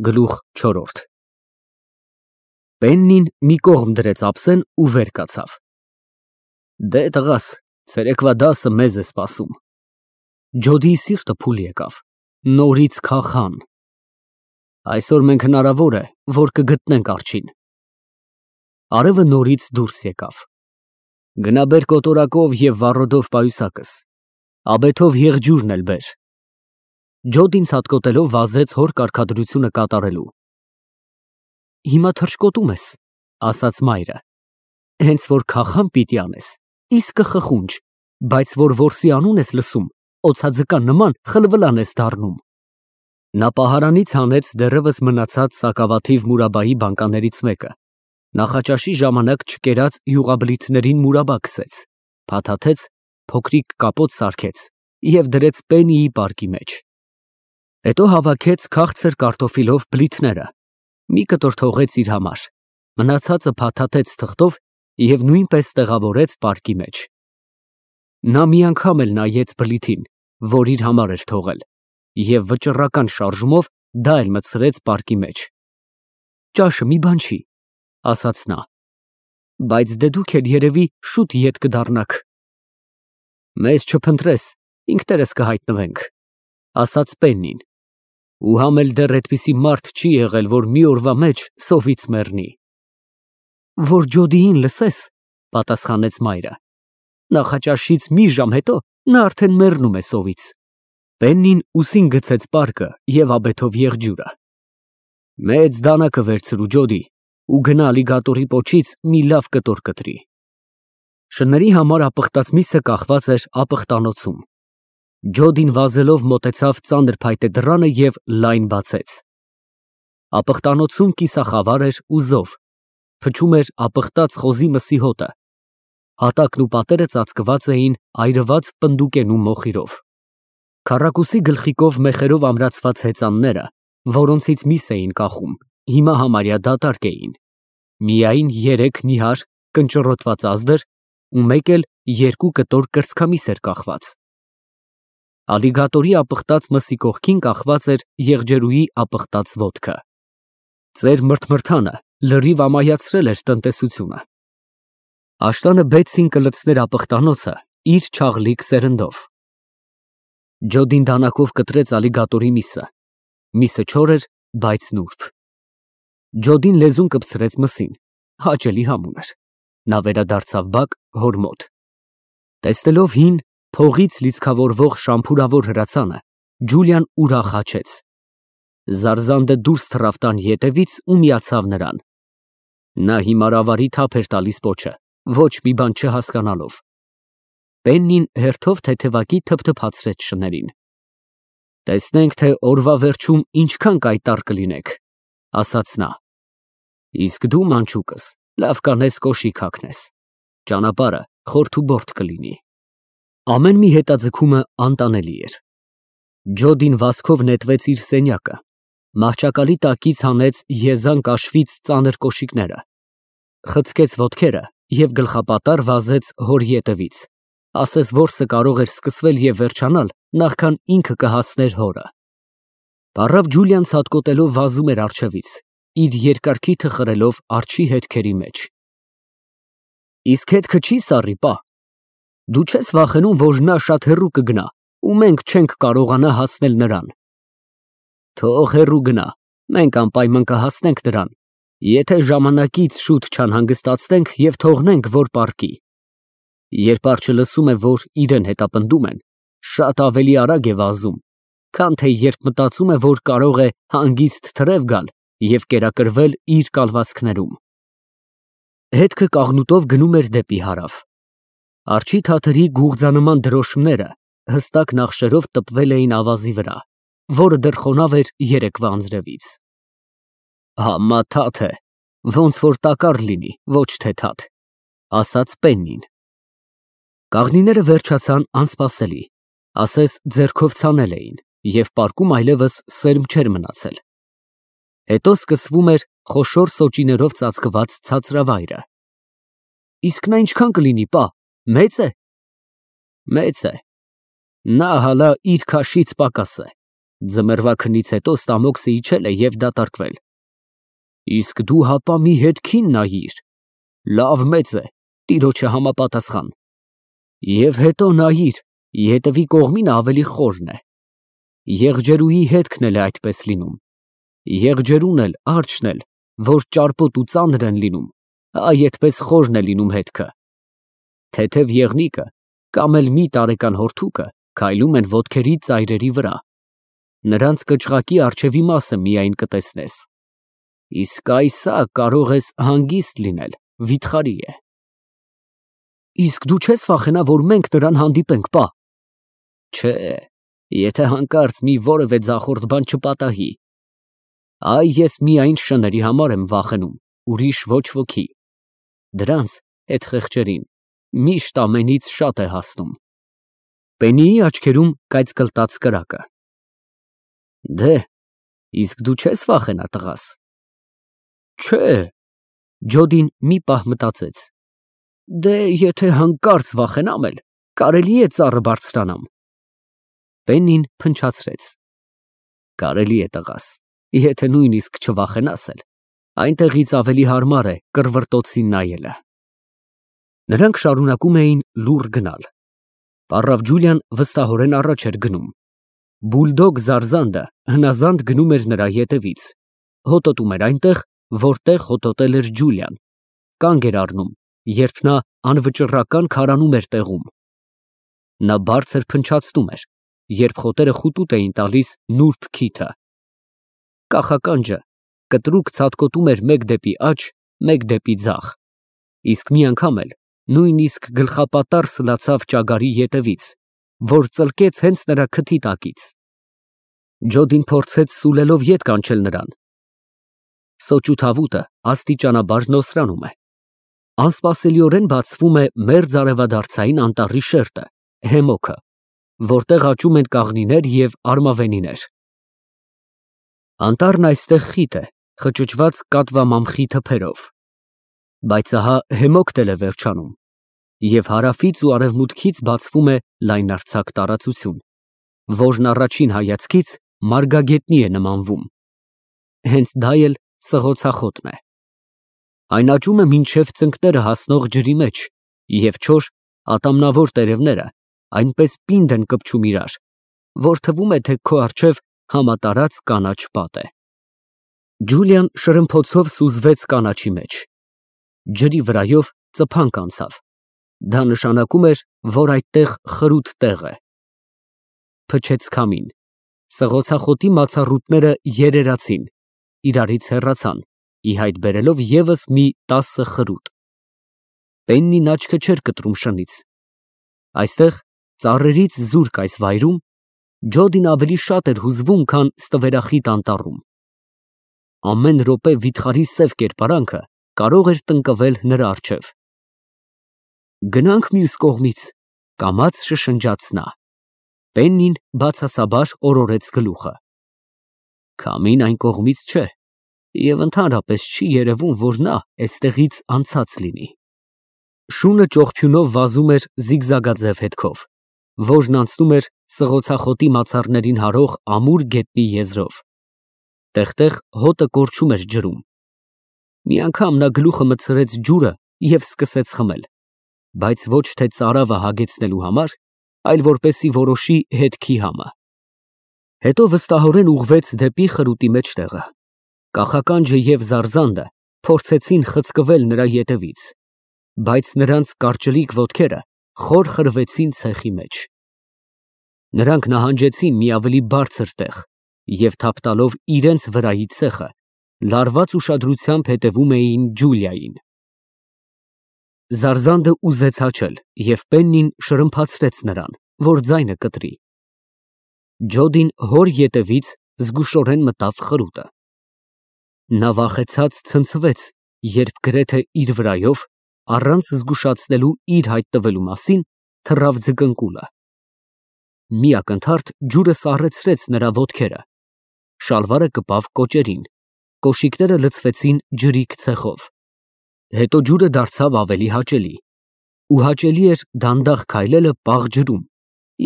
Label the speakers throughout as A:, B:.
A: Գլուխ չորրորդ Պեննին մի կողմ դրեց ափսեն ու վեր կացավ։ Դե տղաս, ցերեկվա դասը մեզ է սպասում։ Ջոդիի սիրտը փուլ եկավ, նորից քախան։ Այսօր մենք հնարավոր է, որ կգտնենք արջին։ Արևը նորից դուրս եկավ։ Գնա բեր կոտորակով և վառոդով պայուսակս, աբեթով եղջյուրն էլ բեր։ Ջոդին ցատկոտելով վազեց հոր կարգադրությունը կատարելու։ Հիմա թռչկոտում ես, ասաց մայրը, հենց որ քախան պիտի անես, իսկը խխունջ, բայց որ որսի անուն ես լսում, օձաձկան նման խլվլան ես դառնում։ Նա պահարանից հանեց դեռևս մնացած սակավաթիվ մուրաբայի բանկաներից մեկը, նախաճաշի ժամանակ չկերած յուղաբլիթներին մուրաբա քսեց, փաթաթեց, փոքրիկ կապոց սարքեց և դրեց Պեննիի պարկի մեջ։ Հետո հավաքեց քաղցր կարտոֆիլով բլիթները, մի կտոր թողեց իր համար, մնացածը փաթաթեց թղթով և նույնպես տեղավորեց պարկի մեջ։ Նա մի անգամ էլ նայեց բլիթին, որ իր համար էր թողել, և վճռական շարժումով դա էլ մտցրեց պարկի մեջ։ Ճաշը մի բան չի, ասաց նա, բայց դե դուք էլ երևի շուտ ետ կդառնաք։ Մեզ չփնտրես, ինքներս կհայտնվենք, ասաց Պեննին, ու համ էլ դեռ այդպիսի մարդ չի եղել, որ մի օրվա մեջ սովից մեռնի։ Որ Ջոդիին լսես, պատասխանեց մայրը, նախաճաշից մի ժամ հետո նա արդեն մեռնում է սովից։ Պեննին ուսին գցեց պարկը և աբեթով եղջյուրը։ Մեծ դանակը վերցրու, Ջոդի, ու գնա ալիգատորի պոչից մի լավ կտոր կտրի։ Շների համար ապխտած միսը կախված էր ապխտանոցում։ Ջոդին վազելով մոտեցավ ծանր փայտե դռանը և լայն բացեց։ Ապխտանոցում կիսախավար էր ու զով, փչում էր ապխտած խոզի մսի հոտը, հատակն ու պատերը ծածկված էին այրված պնդուկենու մոխիրով։ Քառակուսի գլխիկով մեխերով ամրացված հեծանները, որոնցից միս էին կախում, հիմա համարյա դատարկ էին, միայն 3 նիհար կնճռոտված ազդր ու մեկ էլ 2 կտոր կրծքամիս էր կախված։ Ալիգատորի ապխտած մսի կողքին կախված էր եղջերուի ապխտած ոտքը։ Ծեր մրթմրթանը լրիվ ամայացրել էր տնտեսությունը։ Աշտանը բեցին կլցներ ապխտանոցը իր չաղլիկ սերնդով։ Ջոդին դանակով կտրեց ալիգատորի միսը։ Միսը չոր էր, բայց նուրբ։ Ջոդին լեզուն կպցրեց մսին, հաճելի համ ուներ։ Նա վերադարձավ բակ հոր մոտ։ Տեսնելով հին, փողից լիցքավորվող շամփուրավոր հրացանը, Ջուլիան ուրախ հաչեց։ Զարզանդը դուրս թռավ տան ետևից ու միացավ նրան։ Նա հիմար ավարի թափ էր տալիս պոչը, ոչ մի բան չհասկանալով։ Պեննին հերթով թեթևակի թփթփացրեց շներին։ Տեսնենք, թե օրվա վերջում ինչքան կայտառ կլինեք, ասաց նա։ Իսկ դու, մանչուկս, լավ կանես կոշիկ հագնես, ճանապարհը խորթուբորթ կլինի։ Ամեն մի հետաձգումը անտանելի էր։ Ջոդին վազքով նետվեց իր սենյակը, մահճակալի տակից հանեց եզան կաշվից ծանր կոշիկները, խցկեց ոտքերը և գլխապատառ վազեց հոր ետևից, ասես որսը կարող էր սկսվել և վերջանալ, նախքան ինքը կհասներ հորը։ Պառավ Ջուլիան ցատկոտելով վազում էր առջևից, իր երկար քիթը խրելով արջի հետքերի մեջ։ Իսկ հետքը չի սառի, պա։ Դու չես վախենում, որ նա շատ հեռու կգնա, ու մենք չենք կարողանա հասնել նրան։ Թող հեռու գնա, մենք անպայման կհասնենք նրան, եթե ժամանակից շուտ չանհանգստացնենք և թողնենք, որ պառկի։ Երբ արջը լսում է, որ իրեն հետապնդում են, շատ ավելի արագ է վազում, քան թե երբ մտածում է, որ կարող է հանգիստ թրև գալ և կերակրվել իր կալվածքներում։ Հետքը կաղնուտով գնում էր դեպի հարավ։ Արջի թաթերի գուղձանման դրոշմները հստակ նախշերով տպվել էին ավազի վրա, որը դեռ խոնավ էր երեկվա անձրևից։ Համա թաթ է, ոնց որ տակառ լինի, ոչ թե թաթ, ասաց Պեննին։ Կաղնիները վերջացան անսպասելի, ասես ձեռքով ցանել էին, և պարկում այլևս սերմ չէր մնացել։ Հետո սկսվում էր խոշոր սոճիներով ծածկված ցածրավայրը։ Իսկ նա ինչքան կլինի, պա, մեծ է։ Մեծ է։ Նա հալա իր քաշից պակաս է, Ձմեռվա քնից հետո ստամոքսը իջել է և դատարկվել։ Իսկ դու հապա մի հետքին նայիր, լավ մեծ է, տիրոջը համապատասխան։ Եվ հետո նայիր, ետևի կողմին ավելի խորն է։ Եղջերուի հետքն էլ է այդպես լինում։ Եղջերուն էլ, արջն էլ, որ ճարպոտ ու ծանր են լինում, այդպես խորն է լինում հետքը։ Թեթև եղնիկը կամ էլ մի տարեկան հորթուկը քայլում են ոտքերի ծայրերի վրա։ Նրանց կճղակի առջևի մասը միայն կտեսնես։ Իսկ այսա կարող ես հանգիստ լինել, վիթխարի է։ Իսկ դու չես վախենա, որ մենք նրան հանդիպենք, պա։ Չէ, եթե հանկարծ մի որևէ ձախորդ բան չպատահի։ Այ ես միայն շների համար եմ վախենում, ուրիշ ոչ ոքի։ Դրանց հետ խեղճերին միշտ ամենից շատ է հասնում։ Պեննիի աչքերում կայծկլտաց կրակը։ Դե, իսկ դու չես վախենա, տղաս։ Չէ։ Ջոդին մի պահ մտածեց։ Դե, եթե հանկարծ վախենամ էլ, կարելի է ծառը բարձրանամ։ Պեննին փնչացրեց։ Կարելի է, տղաս, եթե նույնիսկ չվախենաս էլ, այնտեղից ավելի հարմար է կռվռտոցին նայելը։ Նրանք շարունակում էին լուռ գնալ։ Պառավ Ջուլիան վստահորեն առաջ էր գնում։ Բուլդոգ Զարզանդը հնազանդ գնում էր նրա ետևից, հոտոտում էր այնտեղ, որտեղ հոտոտել էր Ջուլիան, կանգ էր առնում, երբ նա անվճռական քարանում էր տեղում։ Նա բարձր փնչացնում էր, երբ խոտերը խուտուտ էին տալիս նուրբ քիթը։ Կախականջը կտրուկ ցատկոտում էր մեկ դեպի աջ, մեկ դեպի ձախ, իսկ մի անգամ էլ նույնիսկ գլխապատառ սլացավ ճագարի ետևից, որ ծլկեց հենց նրա քթի տակից։ Ջոդին փորձեց սուլելով ետ կանչել նրան։ Սոճու թավուտը աստիճանաբար նոսրանում է։ Անսպասելիորեն բացվում է մերձ արևադարձային անտառի շերտը, հեմոքը, որտեղ աճում են կաղնիներ և արմավենիներ։ Անտառն այստեղ խիտ է, խճճված կատվամամխի թփերով։ Բայց ահա հեմոքն էլ է վերջանում, և հարավից ու արևմուտքից բացվում է լայնարձակ տարածություն, որն առաջին հայացքից մարգագետնի է նմանվում։ Հենց դա էլ սղոցախոտն է։ Այն աճում է մինչև ծնկները հասնող ջրի մեջ, և չոր, ատամնավոր տերևները այնպես պինդ են կպչում իրար, որ թվում է, թե քո առջև համատարած կանաչ պատ է։ Ջուլիան շրմփոցով սուզվեց կանաչի մեջ։ Ջրի վրայով ծփանք անցավ։ Դա նշանակում էր, որ այդտեղ խրութ տեղ է։ Փչեց քամին։ Սղոցախոտի մացառուտները երերացին, իրարից հեռացան, ի հայտ բերելով ևս մի 10 խրութ։ Պեննին աչքը չէր կտրում շնից։ Այստեղ, ծառերից զուրկ այս վայրում, Ջոդին ավելի շատ էր հուզվում, քան ստվերախիտ անտառում։ Ամեն րոպե վիթխարի սև կերպարանքը կարող էր տնկվել նրա առջև։ Գնանք մյուս կողմից, կամաց շշնջաց նա։ Պեննին բացասաբար օրորեց գլուխը։ Քամին այն կողմից չէ, և ընդհանրապես չի երևում, որ նա էստեղից անցած լինի։ Շունը ճողփյունով վազում էր զիգզագաձև հետքով, որն անցնում էր սղոցախոտի մացառներին հարող ամուր գետնի եզրով։ Տեղ֊տեղ հոտը կորչում էր ջրում։ Մի անգամ նա գլուխը մտցրեց ջուրը և սկսեց խմել, բայց ոչ թե ծարավը հագեցնելու համար, այլ որպեսզի որոշի հետքի համը։ Հետո վստահորեն ուղղվեց դեպի խրուտի մեջտեղը։ Կախականջը և Զարզանդը փորձեցին խցկվել նրա ետևից, բայց նրանց կարճլիկ ոտքերը խոր խրվեցին ցեխի մեջ։ Նրանք նահանջեցին մի ավելի բարձր տեղ և թափ տալով իրենց վրայի ցեխը, լարված ուշադրությամբ հետևում էին Ջուլիային։ Զարզանդը ուզեց հաչել, և Պեննին շրմփացրեց նրան, որ ձայնը կտրի։ Ջոդին հոր ետևից զգուշորեն մտավ խրուտը։ Նա վախեցած ցնցվեց, երբ գրեթե իր վրայով, առանց զգուշացնելու իր հայտ տվելու մասին, թռավ ձկնկուլը։ Մի ակնթարթ ջուրը սառեցրեց նրա ոտքերը, շալվարը կպավ կոճերին, կոշիկները լցվեցին ջրիկ ցեխով։ Հետո ջուրը դարձավ ավելի հաճելի, ու հաճելի էր դանդաղ քայլելը պաղ ջրում,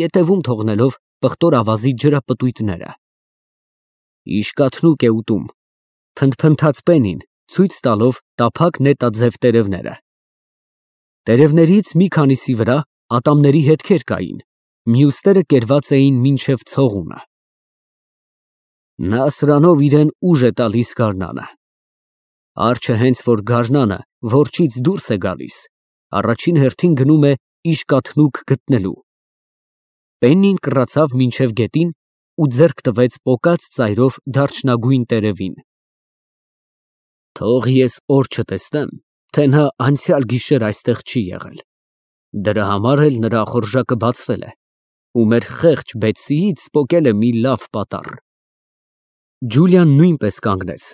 A: ետևում թողնելով պղտոր ավազի ջրապտույտները։ Իշկաթնուկ է ուտում, փնթփնթաց Պեննին, ցույց տալով տափակ նետաձև տերևները։ Տերևներից մի քանիսի վրա ատամների հետքեր կային, մյուսները կերված էին մինչև ցողունը։ Նա սրանով իրեն ուժ է տալիս գարնանը։ Արջը հենց որ գարնանը որջից դուրս է գալիս, առաջին հերթին գնում է իշկաթնուկ գտնելու։ Պեննին կռացավ մինչև գետին ու ձեռք տվեց պոկած ծայրով դարչնագույն տերևին։ Թող ես օր չտեսնեմ, թե նա անցյալ գիշեր այստեղ չի եղել։ Դրա համար էլ նրա ախորժակը բացվել է, ու մեր խեղճ Բեթսիից պոկել է մի լավ պատառ։ Ջուլիան նույնպես կանգնեց։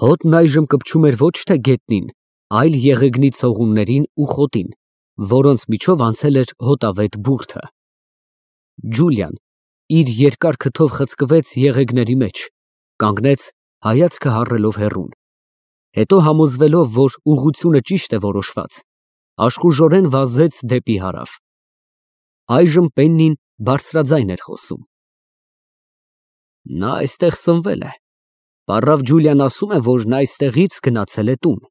A: Հոտն այժմ կպչում էր ոչ թե գետնին, այլ եղեգնի ցողուններին ու խոտին, որոնց միջով անցել էր հոտավետ բուրդը։ Ջուլիան իր երկար քթով խցկվեց եղեգների մեջ, կանգնեց, հայացքը հառելով հեռուն։ Հետո համոզվելով, որ ուղղությունը ճիշտ է որոշված, աշխուժորեն վազեց դեպի հարավ։ Այժմ Պեննին բարձրաձայն էր խոսում։ Նա այստեղ սնվել է։ Պառավ Ջուլիան ասում է, որ նա այստեղից գնացել է տուն։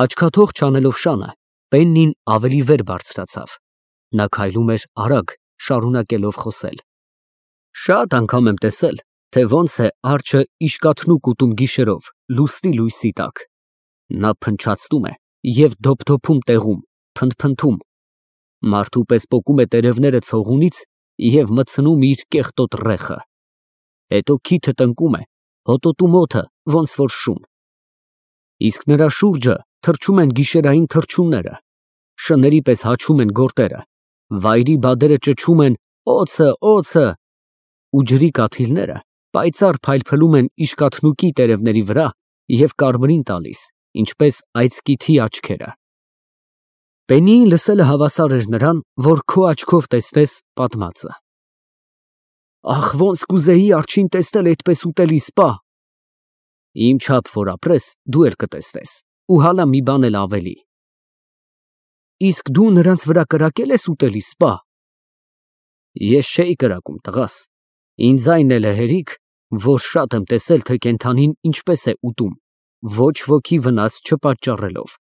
A: Աչքաթող չանելով շանը, Պեննին ավելի վեր բարձրացավ։ Նա քայլում էր արագ, շարունակելով խոսել։ Շատ անգամ եմ տեսել, թե ոնց է արջը իշկաթնուկ ուտում գիշերով, լուսնի լույսի տակ։ Նա փնչացնում է և դոփդոփում տեղում, փնթփնթում, մարդու պես պոկում է տերևները ցողունից և մտցնում իր կեղտոտ ռեխը։ Հետո քիթը տնկում է, հոտոտում օդը, ոնց որ շուն։ Իսկ նրա շուրջը թռչում են գիշերային թռչունները, շների պես հաչում են գորտերը, վայրի բադերը ճչում են օձը, օձը, ու ջրի կաթիլները պայծառ փայլփլում են իշկաթնուկի տերևների վրա և կարմրին տալիս, ինչպես այծկիթի աչքերը։ Պեննիին լսելը հավասար էր նրան, որ քո աչքով տեսնես պատմածը։ Ախ, ոնց կուզեի արջին տեսնել այդպես ուտելի սպա։ Իմ չափ որ ապրես, դու էլ կտեսնես, ու հալա մի բան էլ ավելի։ Իսկ դու նրանց վրա կրակել ես ուտելի սպա։ Ես չէի կրակում, տղաս, ինձ այն էլ է հերիք, որ շատ եմ տեսել, թե կենդանին ինչպես է ուտում, ոչ ոքի վնաս չպատճառելով։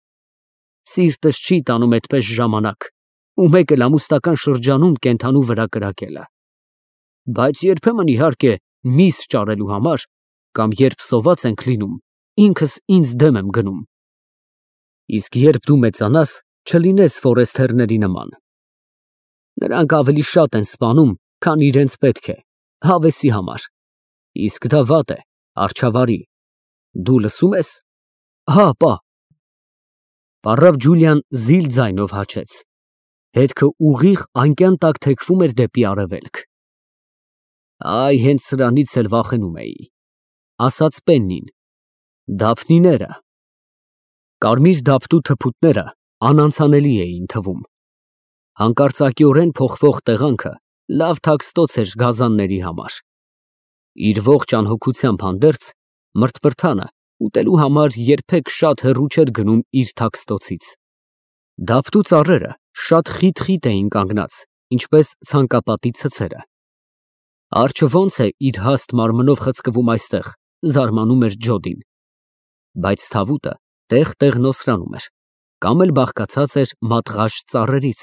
A: Սիրտս չի տանում այդպես ժամանակ, ու մեկ էլ ամուսնական շրջանում կենդանու վրա կրակելը։ Բայց երբեմն իհարկե միս ճարելու համար, կամ երբ սոված ենք լինում, ինքս ինձ դեմ եմ գնում։ Իսկ երբ դու մեծանաս, չլինես ֆորեստերների նման։ Նրանք ավելի շատ են սպանում, քան իրենց պետք է, հավեսի համար։ Իսկ դա վատ է, արջավարի։ Դու լսում ես։ Հա, պա։ Պառավ Ջուլիան զիլ ձայնով հաչեց։ Հետքը ուղիղ անկյան տակ թեքվում էր դեպի արևելք։ Այ հենց սրանից էլ վախենում էի, ասաց Պեննին։ Դափնիները։ Կարմիր դափտու թփուտները անանցանելի էին թվում։ Հանկարծակիորեն փոխվող տեղանքը լավ թաքստոց էր գազանների համար։ Իր ողջ անհոգությամբ հանդերձ մրթպրթանը ուտելու համար երբեք շատ հեռու չէր գնում իր թաքստոցից։ Դափտու ծառերը շատ խիտ էին կանգնած, ինչպես ցանկապատի ցցերը։ Արջը ոնց է իր հաստ մարմնով խցկվում այստեղ, զարմանում էր Ջոդին։ Բայց թավուտը տեղ-տեղ նոսրանում էր, կամ էլ բաղկացած էր մատղաշ ծառերից,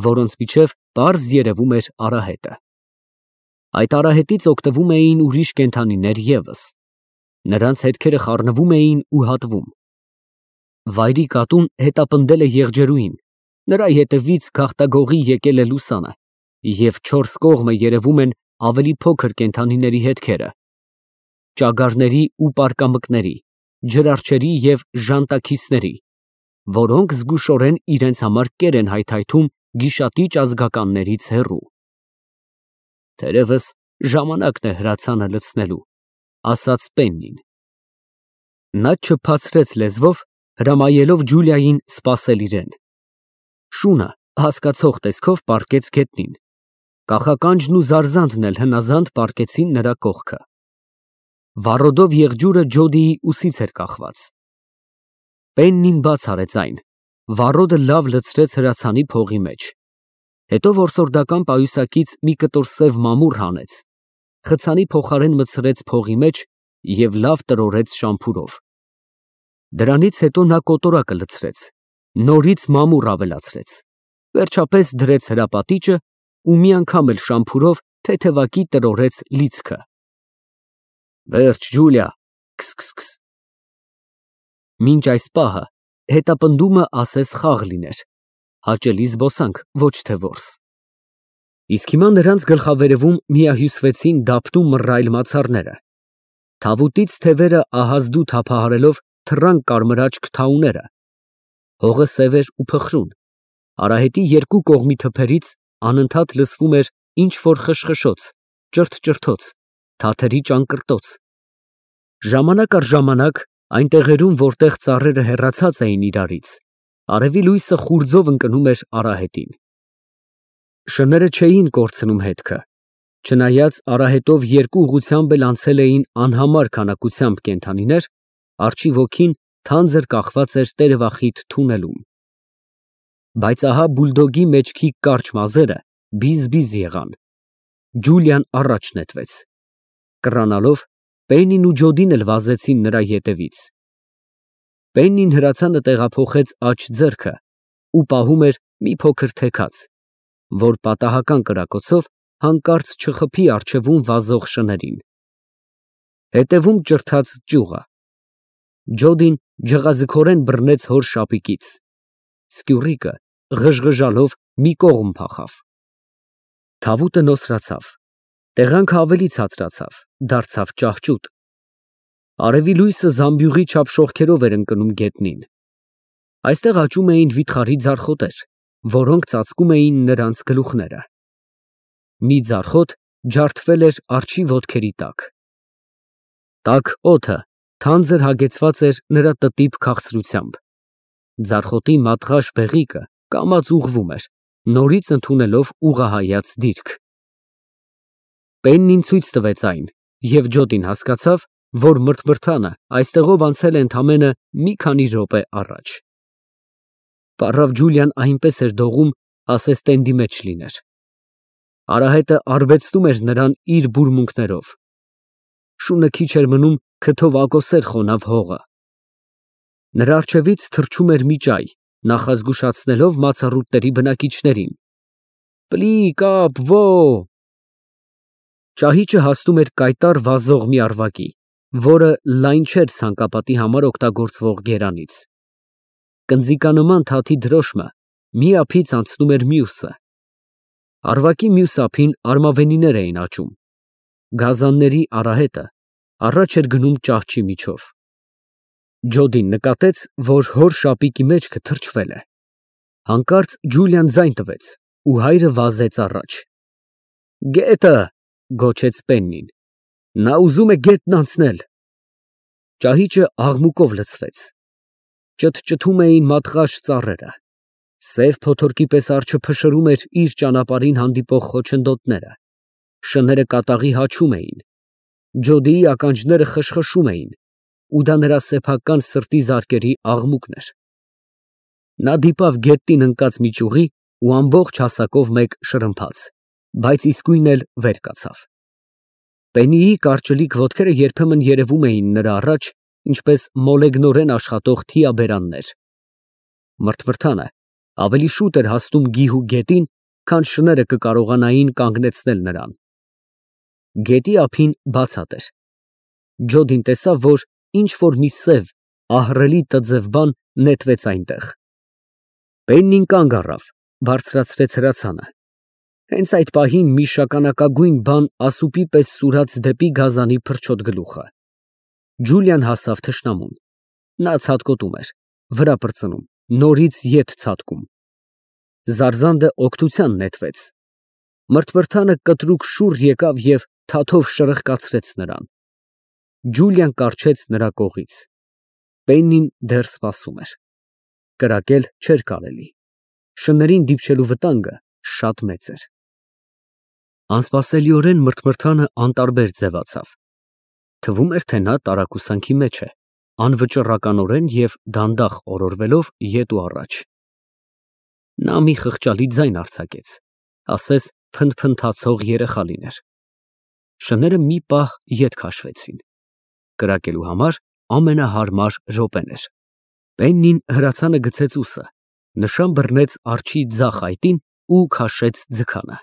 A: որոնց միջև պարզ երևում էր արահետը։ Այդ արահետից օգտվում էին ուրիշ կենդանիներ ևս։ Նրանց հետքերը խառնվում էին ու հատվում։ Վայրի կատուն հետապնդել է եղջերուին, նրա ետևից գաղտագողի եկել է լուսանը, և չորս կողմը երևում են ավելի փոքր կենդանիների հետքերը, ճագարների ու պարկամկների, ջրարջերի և ժանտաքիսների, որոնք զգուշորեն իրենց համար կեր են հայթայթում գիշատիչ ազգականներից հեռու։ Թերևս ժամանակն է հրացանը լցնելու, ասաց Պեննին։ Նա չփացրեց լեզվով, հրամայելով Ջուլիային սպասել իրեն։ Շունը հասկացող տեսքով պառկեց գետնին։ Կախականջն ու զարզանդն էլ հնազանդ պառկեցին նրա կողքը։ Վառոդով եղջյուրը Ջոդիի ուսից էր կախված։ Պեննին բաց արեց այն, վառոդը լավ լցրեց հրացանի փողի մեջ։ Հետո որսորդական պայուսակից մի կտոր սև մամուռ հանեց, խցանի փոխարեն մտցրեց փողի մեջ և լավ տրորեց շամփուրով։ Դրանից հետո նա կոտորակը լցրեց, նորից մամուռ ավելացրեց, վերջապես դրեց հրապատիճը ու մի անգամ էլ շամփուրով թեթևակի տրորեց լիցքը։ Վերջ, Ջուլիա, քս։ Մինչ այս պահը հետապնդումը ասես խաղ լիներ, հաճելի զբոսանք, ոչ թե որս։ Իսկ հիմա նրանց գլխավերևում միահյուսվեցին դափնու մռայլ մացառները, թավուտից թևերը ահազդու թափահարելով թռան կարմրաճ քթաուները, հողը սև էր ու փխրուն, արահետի երկու կողմի թփերից անընդհատ լսվում էր ինչ-որ խշխշոց, ճրթճրթոց, թաթերի ճանկռտոց։ Ժամանակ առ ժամանակ այն տեղերում, որտեղ ծառերը հեռացած էին իրարից, արևի լույսը խուրձով ընկնում էր արահետին։ Շները չէին կորցնում հետքը, չնայած արահետով երկու ուղղությամբ էլ անցել էին անհամար քանակությամբ կենդանիներ, արջի ոգին թանձր կախված էր տերևախիտ թունելում։ Բայց ահա բուլդոգի մեջքի կարճ մազերը բիզ-բիզ եղան։ Ջուլիան առաջ նետվեց։ Կռանալով Պեննին ու Ջոդին էլ վազեցին նրա ետևից։ Պեննին հրացանը տեղափոխեց աջ ձեռքը ու պահում էր մի փոքր թեքած, որ պատահական կրակոցով հանկարծ չխփի առջևում վազող շներին։ Հետևում ճրթաց ճյուղը։ Ջոդին ջղաձգորեն բռնեց հոր շապիկից։ Սկյուռիկը ղժղժալով մի կողմ փախավ։ Թավուտը նոսրացավ, տեղանքը ավելի ցածրացավ, դարձավ ճահճուտ։ Արևի լույսը զամբյուղի չափ շողքերով էր ընկնում գետնին։ Այստեղ աճում էին վիթխարի ձարխոտեր, որոնք ծածկում էին նրանց գլուխները։ Մի ձարխոտ ջարդվել էր արջի ոտքերի տակ։ Տաք օդը թանձր հագեցված էր նրա տտիպ քաղցրությամբ։ Ձարխոտի մատղաշ բեղիկը կամաց ուղղվում էր, նորից ընդունելով ուղղահայաց դիրք։ Պեննին ցույց տվեց այն, և Ջոդին հասկացավ, որ մրթմրթանը այստեղով անցել է ընդամենը մի քանի րոպե առաջ։ Պառավ Ջուլիան այնպես էր դողում, ասես տենդի մեջ լիներ։ Արահետը արբեցնում էր նրան իր բուրմունքներով։ Շունը քիչ էր մնում քթով ակոսեր խոնավ հողը։ Նրա առջևից թռչում էր մի ճայ, նախազգուշացնելով մացառուտների բնակիչներին. Պլի կապ վո։ Ճահիճը հասնում էր կայտառ վազող մի առվակի, որը լայն չէր ցանկապատի համար օգտագործվող գերանից։ Կնձիկանման թաթի դրոշմը մի ափից անցնում էր մյուսը։ Առվակի մյուս ափին արմավենիներ էին աճում։ Գազանների արահետը առաջ էր գնում ճահճի միջով։ Ջոդին նկատեց, որ հոր շապիկի մեջքը թրջվել է։ Հանկարծ Ջուլիան ձայն տվեց, ու հայրը վազեց առաջ։ Գետը, գոչեց Պեննին։ Նա ուզում է գետն անցնել։ Ճահիճը աղմուկով լցվեց։ Ճթճթում էին մատղաշ ծառերը։ Սև փոթորկի պես արջը փշրում էր իր ճանապարհին հանդիպող խոչընդոտները։ Շները կատաղի հաչում էին։ Ջոդիի ականջները խշխշում էին, ու դա նրա սեփական սրտի զարկերի աղմուկն էր։ Նա դիպավ գետնին ընկած մի ճյուղի ու ամբողջ հասակով մեկ շրմփաց, բայց իսկույն էլ վեր կացավ։ Պեննիի կարճլիկ ոտքերը երբեմն երևում էին նրա առաջ, ինչպես մոլեգնորեն աշխատող թիաբերաններ։ Մրթմրթանը ավելի շուտ էր հասնում գիհու գետին, քան շները կկարողանային կանգնեցնել նրան։ Գետի ափին բացատ էր։ Ջոդին տեսավ, որ ինչ-որ մի սև, ահռելի տձև բան նետվեց այնտեղ։ Պեննին կանգ առավ, բարձրացրեց հրացանը։ Հենց այդ պահին մի շագանակագույն բան ասուպի պես սուրաց դեպի գազանի փրչոտ գլուխը։ Ջուլիան հասավ թշնամուն։ Նա ցատկոտում էր, վրա պրծնում, նորից ետ ցատկում։ Զարզանդը օգնության նետվեց։ Մրթմրթանը կտրուկ շուռ եկավ և թաթով շրխկացրեց նրան։ Ջուլիան կառչեց նրա կողից։ Պեննին դեռ սպասում էր։ Կրակել չէր կարելի։ Շներին դիպչելու վտանգը շատ մեծ էր։ Անսպասելիորեն մրթմրթանը անտարբեր ձևացավ։ Թվում էր, թե նա տարակուսանքի մեջ է, անվճռականորեն և դանդաղ օրորվելով ետ ու առաջ։ Նա մի խղճալի ձայն արձակեց, ասես փնթփնթացող երեխա լիներ։ Շները մի պահ ետ քաշվեցին։ Կրակելու համար ամենահարմար րոպեն էր։ Պեննին հրացանը գցեց ուսը, նշան բռնեց արջի ձախ այտին ու քաշեց ձգանը։